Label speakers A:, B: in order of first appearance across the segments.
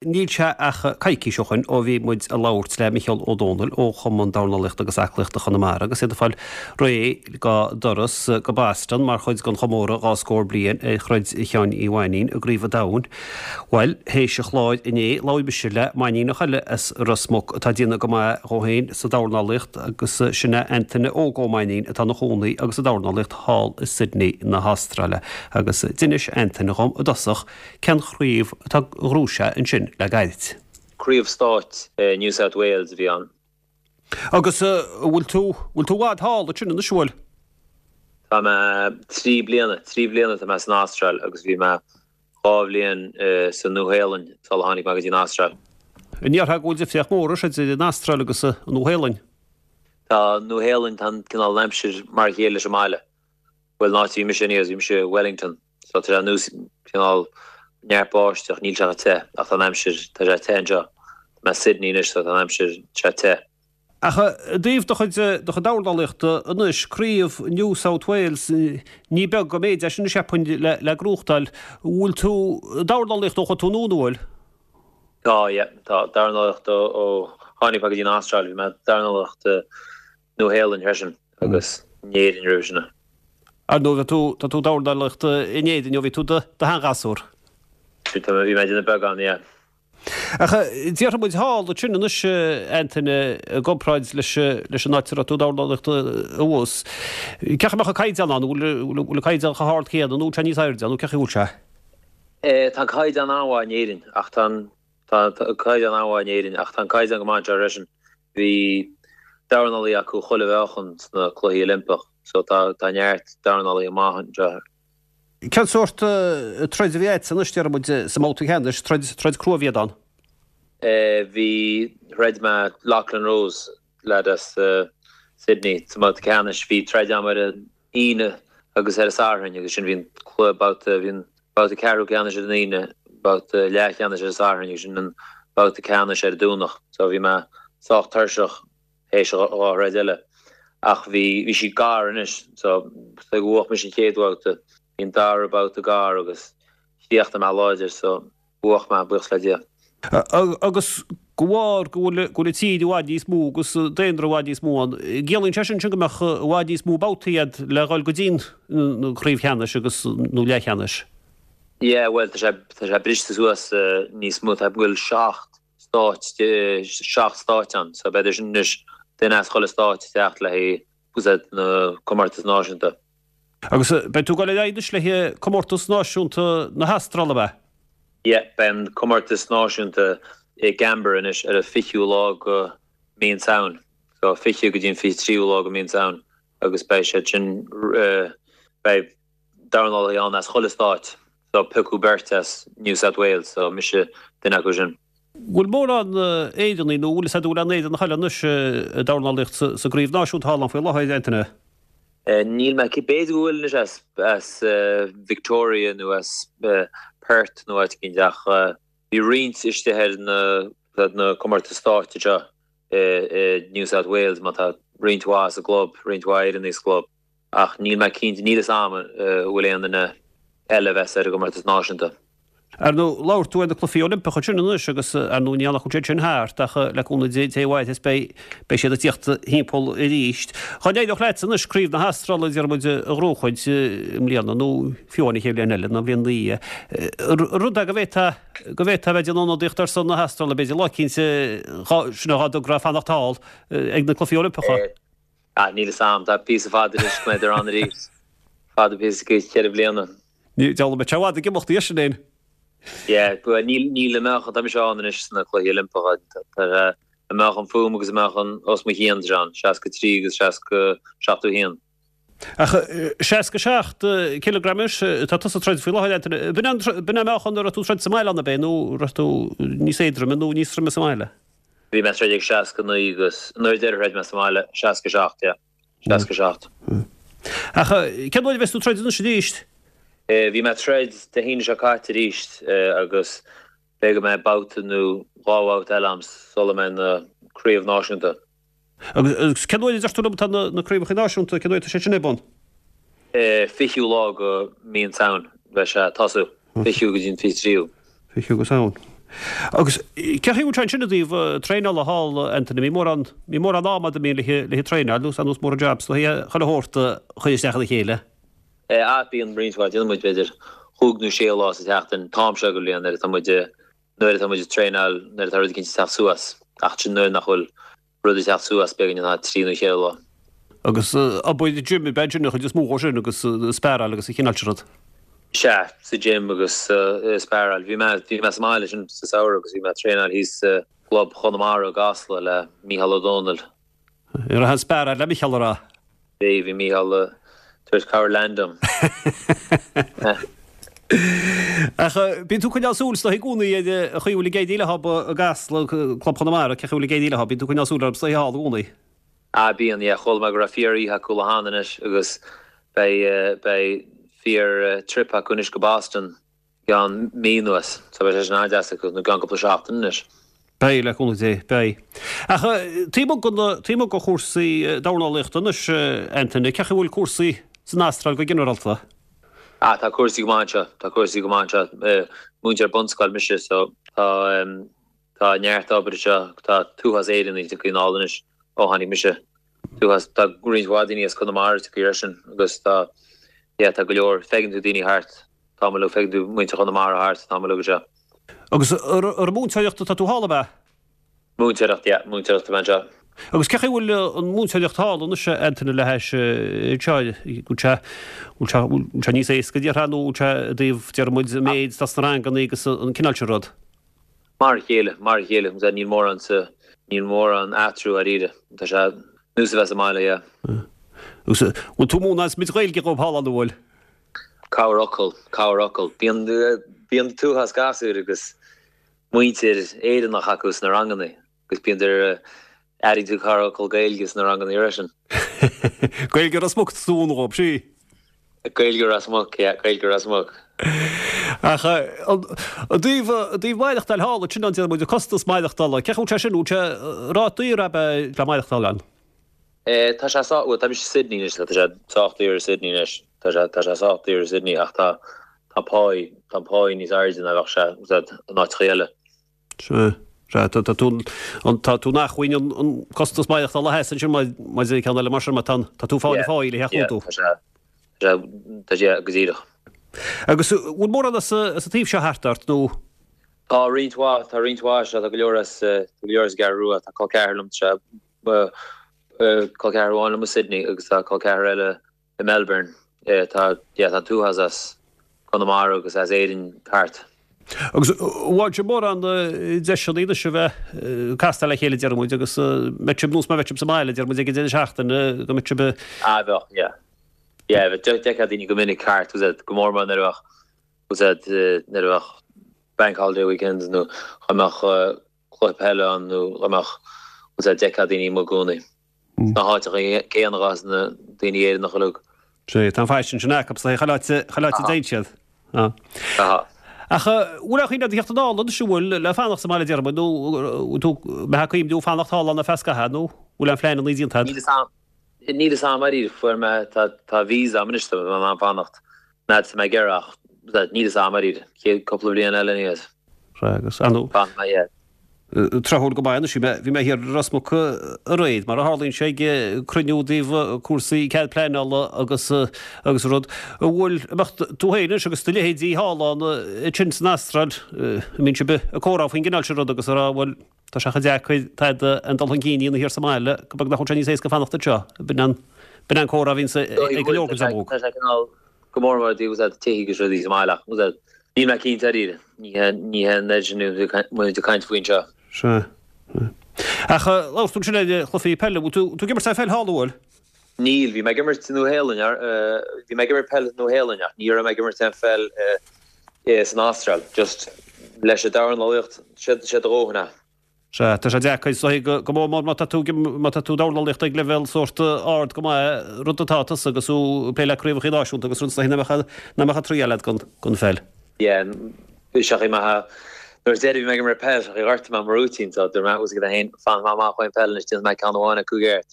A: Níl sé ach coicís ó shoin ó bhí muid ag labhairt le Micheál Ó Domhnaill ó Chumann Dornálaíochta agus Aclaíochta Chonamara agus iad ag fáil réidh dá dturas go Boston mar chuid den chomóradh dhá scór bliain ar throid Sheáin Uí Mhainnín i gCraobh an Domhain. Bhuel, théis an chláir inné, labhair mise le Mainníneach eile as Ros Muc atá ag déanamh go maith dhó féin sa dornálaíocht agus sin é Antaine Óg Ó Mainnín atá ina chónaí agus ag dornálaíocht thall i Sydney na hAstráile. Agus d'inis Antaine dhom i dtosach Cén chraobh atá a ghnóthaigh sé ansin le gairid?
B: Craobh stáit New South Wales a bhí ann.
A: Agus an bhfuil tú, bhfuil tú i bhfad thall ansin anois, an bhfuil?
B: Tá mé 3 bliana, 3 bliana atá mé san Astráil agus bhí mé 2 bhliain sa Nua-Shéalainn sula tháinig mé go dtí an Astráil.
A: An ndéarfá go bhfuil difríocht mhór anois idir an Astráil agus an Nua-Shéalainn?
B: Tá an Nua-Shéalainn, tá an cineál aimsir mar a chéile leis an mbaile. Bhuel, an áit a bhí mise anyways, bhí mise i Wellington, so tá sé nós cineál neart báisteach, níl sé chomh te, ach tá an aimsir, tá sé te anseo. Tá mé i Sydney anois, so tá an aimsir, tá sé te.
A: Ach i dtaobh do chuid, do chuid dornálaíochta anois, craobh New South Wales, ní beag an méid é sin cheapfainn le, le gnóthachtáil. Bhfuil tú ag dornálaíocht ó chuaigh tú anonn, an bhfuil?
B: Tá, yeah, tá, dornálaíocht ó, ó tháinig mé go dtí an Astráil, bhí mé ag dornálaíocht i Nua Shéalainn freisin agus in Éirinn roimhe sin.
A: Ar ndóigh, tá tú, tá tú ag dornálaíocht in Éirinn ó bhí tú i do sheanghasúr.
B: Bhí, tá mé, bhí mé ag déanamh beagán, yeah.
A: Ach déarfaidh muid thall ansin anois, Antaine, i gcomparáid leis, leis an áit a raibh tú ag dornálaíocht abhus. Cén chaoi a mbeadh an caighdeán ann? An bhfuil, bhfuil an caighdeán chomh hard céanna nó bhfuil sé níos airde nó cén chaoi a bhfuil sé?
B: Tá an caighdeán an-mhaith in Éirinn ach tá an, tá an caighdeán an-mhaith in Éirinn ach tá an caighdeán go maith anseo freisin. Bhí dornálaí acu chuile mheáchan sna Cluichí Oilimpeach so tá tá neart dornálaithe maith anseo.
A: Cén sórt troid a bhí agat anois, déarfaidh muid, sa mbabhta ceannais, troid, troid crua a bhí ann?
B: Bhí, throid mé Lachlan Rose, leaid as Sydney, sa mbabhta ceannais. Bhí troid agam ar an Aoine agus ar an Satharn agus sin bhí an cluiche babhta, bhí an babhta ceathrú ceannais ar an Aoine, babhta leathcheannais ar an Satharn agus sin an babhta ceannais ar an Domhnach. So bhí mé sách tuirseach théis an dhá throid eile. Ach bhí, bhí sí gar anois so bhuaigh mise an chéad bhabhta, bhí an dara babhta gar agus chríochnaigh mé láidir so Bhuaigh mé, buíochas le Dia.
A: Agus de bharr go bhfuil go bhfuil an tír i bhfad níos mó agus daonra i bhfad níos mó ann, ciallaíonn sé sin sin go mbeadh i bhfad níos mó babhtaí agat le dhul go dtí an chraobh cheannais agus nó leathcheannais?
B: Yeah, bhuel tá sé tá sé briste suas níos mó, tá go bhfuil 7 stáit 7 stáit ann, so b'fhéidir sin anois duine as chuile stáit ag teacht le haghaidh úsáid na comórtas náisiúnta.
A: Agus beidh tú ag dul ar aghaidh anois le comórtas náisiúnta na hAstráile, ab ea?
B: Yeah, beidh an comórtas náisiúnta i gCanberra anois ar an 20ú lá go mí an Samhain. So 20 go dtí an 23ú lá go mí an Samhain agus beidh siad sin, beidh dornálaithe ann as chuile stáit. So piocadh beirt as New South Wales, so mise duine acu sin.
A: Bhfuil mórán Éireannaigh nó bhfuil fhios agat an bhfuil aon Éireannach eile anois ag dornálaíocht sa gcraobh náisiúnta thall ann faoi láthair, Antaine?
B: Níl mé cinnte, b'fhéidir go bhfuil anois as as Victoria nó as Perth nó áit éicint ach bhí roinnt istigh ar na na comórtais stáit anseo i New South Wales mar tá roinnt mhaith sa gclub, roinnt mhaith Éireannaigh sa gclub ach níl mé cinnte, níl fhios a'm an bhfuil aon duine eile a bheas ar an gcomórtas náisiúnta.
A: Ar ndóigh, labhair tú ar na Cluichí Oilimpeacha ansin anois agus ar ndóigh ní nach bhfuil siad sin thart ach le cúnamh Dé Dé mhaith beidh beidh siad ag tíocht thimpeall arís. Dá n-éireodh leat anois Craobh na hAstráile déarfaidh muid a ghnóchaint i mbliana nó fiú amháin an chéad bhliain eile nó an bhliain ina dhiaidh, rud é go bhféadfá go bhféadfá a bheith ag déanamh ionadaíocht ar son na hAstráile b'fhéidir lá eicínt sin é dá dtográ fanacht thall ag na Cluichí Oilimpeacha.
B: Ah, níl fhios a'm, tá píosa fada anois go mbeidh ann arís. Fada píosa go cheithre bliana.
A: Ní dealbh mé i bhfad ag imeacht dhi sin fhéin.
B: Yeah, bhuel níl, níl an meáchan, tá mise ann anois sna Cluichí Oilimpeacha, tá an meáchan fúm agus an meáchan os mo chionn, tá sé ann, 63 agus 60, 71.
A: Ach 67 cileagram anois, tá tusa ag troid faoi láthair, Antaine. B'in an, b'in an meáchan a raibh tú ag troid sa mbaile ann, ab é, nó raibh tú níos éadroime nó níos troime sa mbaile?
B: Bhí mé ag troid ag 69 agus nuair a deireadh throid mé sa mbaile, 67, yeah. 67.
A: Ach cén uair a bheas tú ag troid anois arís?
B: Bhí mé ag troid Dé hAoine seo caite arís agus b'fhéidir go mbeidh babhta nó dhá bhabhta eile a'm sula mbeidh na craobh náisiúnta.
A: Agus cén uair a deir tú liom atá na craobhacha náisiúnta, cén uair atá sé sin ar bun?
B: 20ú lá go mí an tSamhain beidh sé ag tosú, 20ú go dtí an 23ú.
A: 20ú go Samhain. Agus cé chaoi a bhfuil sé ansin i dtaobh traenála thall, Anthony? An mbíonn mórán, mbíonn mórán ama agat an mbíonn le le traenáil nó nós mórán jobs nó chuile shórt a chur isteach ina chéile?
B: Ah bíonn roinnt mhaith, déanann muid b'fhéidir chúig nó sé lá sa tseachtain, an t-am seo den bhliain nuair atá muid, nuair atá muid ag traenáil, nuair atá rud eicínt ag teacht suas ach sin nuair nach bhfuil rud ag teacht suas beagáinín ná trí nó cheithre lá.
A: Agus obair gym ab ea sin an chuid is mó dhó sin agus sparáil agus an chineál sin rud.
B: Sea, sa gym agus sparáil. Bhí mé, bhí mé sa mbaile ansin sa samhradh agus bhí mé ag traenáil thíos sa gclub Chonamara i gCasla le Mícheál Ó Dónaill.
A: An raibh an sparáil le Mícheál a rá?
B: Bhí, bhí Mícheál ag tabhairt cabhair lean dom.
A: Ach bíonn tú ag coinneáil súil is dóigh i gcónaí ar an chaoi a bhfuil ag éirí leo i gCasla, Club Chonamara, cé chaoi a bhfuil ag éirí leo, bíonn tú ag coinneáil súil orthu is dóigh thall i gcónaí.
B: Ah bíonn, yeah, chuala mé go raibh fíor oíche acu lá cheana anois agus beidh, beidh fíor trip acu anois go Boston. I gceann mí anuas. So beidh sé sin an-deas acu, nó i gceann cúpla seachtain anois.
A: Beidh, le cúnamh Dé, beidh. Ach taobh amuigh de na, taobh amuigh de chúrsaí dornálaíochta anois, Anthony, cé chaoi a bhfuil cúrsaí san Astráil go ginearálta?
B: Ah, tá cúrsaí go maith anseo, tá cúrsaí go maith anseo. Múinteoir bunscoil mise, so tá, tá neart obair anseo, tá an t-uafás Éireannaigh tagtha anall anois ó tháinig mise. T-uafás, tá roinnt mhaith daoine as Conamara tagtha freisin agus tá, yeah, tá go leor, feiceann tú daoine thart. Tá mé feiceann tú muintir Chonamara thart, tá mé anseo.
A: Agus ar an múinteoireacht atá tú thall, ab ea?
B: Múinteoireacht, yeah, múinteoireacht atá mé anseo.
A: Agus cé chaoi a bhfuil an mhúinteoireacht thall anois, Anthony, le hais anseo, bhfuil sé, bhfuil sé, bhfuil sé níos éasca, déarfá, nó bhfuil sé i dtaobh, déarfaidh muid, an méid atá sna ranganna agus an cineál sin rud?
B: Mar a chéile, mar a chéile, níl mórán sa, níl mórán athrú dáiríre. Tá sé nós a bheith sa mbaile, yeah.
A: Agus bhfuil tú ag múineadh an méid Gaeilge dhóibh thall ann, an bhfuil?
B: Corrfhocal, corrfhocal. Bíonn, bíonn an t-uafás gasúir agus muintir Éireannach acu sna ranganna agus bíonn ar, airíonn tú corrfhocal Gaeilge sna ranganna freisin.
A: Gaeilge Ros Muc tú ag múineadh dhóibh, sí?
B: Gaeilge Ros Muc, yeah, Gaeilge Ros Muc.
A: Ach i dtaobh, i dtaobh maireachtáil thall, sin an, déarfaidh muid, an costas maireachtála, cé chaoi bhfuil sé sin, bhfuil sé ráta daor ab ea le maireachtáil ann?
B: Tá sé sách, bhuel tá mise i Sydney anois, tá sé sách daor i Sydney anois, tá sé, tá sé sách daor i Sydney ach tá, tá páí, tá an páí níos airde ná bheadh sé, úsáid, in áiteacha eile.
A: Sea, sea, tá, tá tú, an, tá tú in acmhainn an, an costas maireachtála a sheasamh ansin mar, maidir le ceann eile mar sin, mar tá an, tá tú ag fáil an pháí le theacht
B: Yeah,
A: chugat.
B: tá sé, tá sé, tá sé, yeah, go díreach.
A: Agus bhfuil mórán as, as an taobh seo thart ort nó?
B: Tá roinnt mhaith, tá roinnt mhaith, sea, tá go leor as, tá go leor as an gCeathrú Rua, tá col ceathar liom, tá sé, Col ceathar amháin liom i Sydney agus tá col ceathar eile i Melbourne. Tá, yeah, tá an t-uafás as Conamara agus as Éirinn thart.
A: Agus an bhfaigheann sibh mórán deiseanna anois a bheith ag castáil le chéile, déarfaidh muid, agus mbeidh sibh, nós mar a bheadh sibh sa mbaile, déarfaidh muid, ag an deireadh seachtaine, go mbeidh sibh ag.
B: Ah, bheadh, yeah. Yeah, bheadh, d'fheicfeá daoine go minic thart, go mór mór nuair a bheadh, nuair a bheadh bank holiday weekends nó dá mbeadh cluiche peile ann nó dá mbeadh bhfuil sé d'fheicfeá daoine amuigh i gcónaí. Sna háiteacha céanna atá na daoine Éireannacha uilig.
A: Sea, tá an faisean sin acu, so chuile áit chuile áit a dtéann siad.
B: Tá.
A: Ach bhfuil aon chuimhne agat a theacht anall anois, an bhfuil, le fanacht sa mbaile déarfaidh muid, nó bhfuil tú mbeifeá ag cuimhniú fanacht thall ann ar feadh scaithimh nó bhfuil aon phleananna déanta agat?
B: Níl fhios a'm. Níl fhios a'm dáiríre, fuair mé, tá, tá visa a'm anois, tá mé in ann fanacht an fhad is atá mé ag iarraidh ach níl fhios a'm dáiríre, chéad cúpla bliain eile aníos.
A: Sea, agus, ar ndóigh.
B: Fanfaidh mé, yeah.
A: Tráthúil go maith anois, bhí mé, bhí mé thiar i Ros Muc aréir, mar a tharlaíonn sé, ag cruinniú i dtaobh cúrsaí cead pleanála agus, agus rud. An bhfuil, an mbeadh tú féin anois agus do leithéidí thall ann ansin san Astráil, an mbíonn sibh ag comhrá faoin gcineál sin rud agus ag rá, bhuel, Tá sé chomh deacair tada aon dul chun cinn a dhéanamh thiar sa mbaile go beag nach bhfuil sé níos éasca fanacht anseo. B'in an, b'in an comhrá a bhíonns ag go leor den dream óg.
B: Tá sé cineál go mór mór i dtaobh tithe agus rudaí sa mbaile ach níl mé cinnte dáiríre. Ní hé, ní hé an oiread sin a muid ag caint faoi
A: anseo. Sea. Ach labhair tú ansin ar chluichí peile. Bhfuil tú, tú ag imirt aon pheil thall, an bhfuil?
B: Níl, bhí mé ag imirt sa Nua-Shéalainn, bhí mé ag imirt peil sa Nua-Shéalainn ach ní raibh mé ag imirt aon pheil san Astráil, just leis an dornálaíocht, sé do dhóthain é.
A: Sea, tá sé deacair, is dóigh, go mór mór má tá tú, má tá tú ag dornálaíocht ag leibhéal sórt ard go maith, rud atá tusa agus tú ag plé le craobhacha náisiúnta agus rud is dóigh nach mbeadh, nach mbeadh triail agat don, don pheil.
B: Yeah, bhí sé maith, nuair a deireadh bhí mé ag imirt peil, sé ghortaigh mé mo rúitín, so dúirt mé, bhfuil a fhios agat féin, fanfaidh mé amach ón peil anois, déanfaidh mé ceann amháin acu i gceart.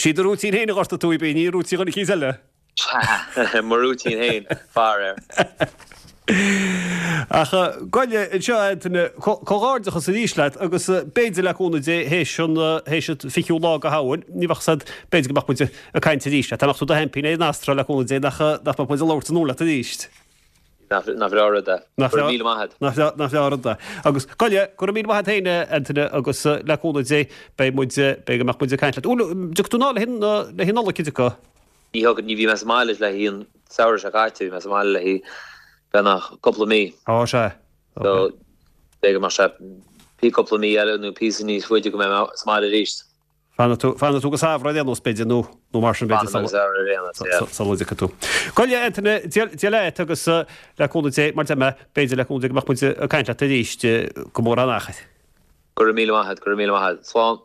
A: Sí do rúitín féin a ghortaigh tú, ab í, ní rúitín dhuine eicínt eile.
B: Mo rúitín féin, faraor.
A: Ach gabh i leith anseo, a Antaine, comhghairdeachas arís leat agus b'fhéidir le cúnamh Dé théis an théis an fichiú lá de Shamhain, ní bheadh 's a'd, b'fhéidir go mbeadh muid ag caint arís leat. Dá mbeadh tú i do sheaimpín ar an Astráil le cúnamh Dé nach nach mbeadh muid ag labhairt anonn leat arís.
B: Nach breá an rud é. Go raibh míle maith
A: a't. Nach breá an rud é. Agus gabh i leith, go raibh míle maith a't féin, a Antaine, agus le cúnamh Dé beidh muid, beidh go mbeadh muid ag caint leat. Bhuel, dtiocfaidh tú anall le haghaidh an Nollaig, an dtiocfaidh?
B: Ní thiocfaidh, ní bhí mé sa mbaile le haghaidh an samhradh seo caite, bhí mé sa mbaile le haghaidh beagnach cúpla mí.
A: Á, sea.
B: So, b'fhéidir go mbeadh sé pí cúpla mí eile nó píosa níos faide go mbeidh mé sa mbaile arís.
A: Fanfaidh tú, fanfaidh tú go samhradh ar aon nós, b'fhéidir, nó, nó mar sin, b'fhéidir,
B: Fanfaidh mé go samhradh ar aon nós, yeah.
A: sula dtiocfaidh tú. Gabh i leith, Antaine, Dia, Dia leat agus le cúnamh Dé, mar deir mé, b'fhéidir le cúnamh Dé go mbeadh muid ag caint leat arís go mór an achar.
B: Go raibh míle maith a't, go raibh míle maith a't. Slán.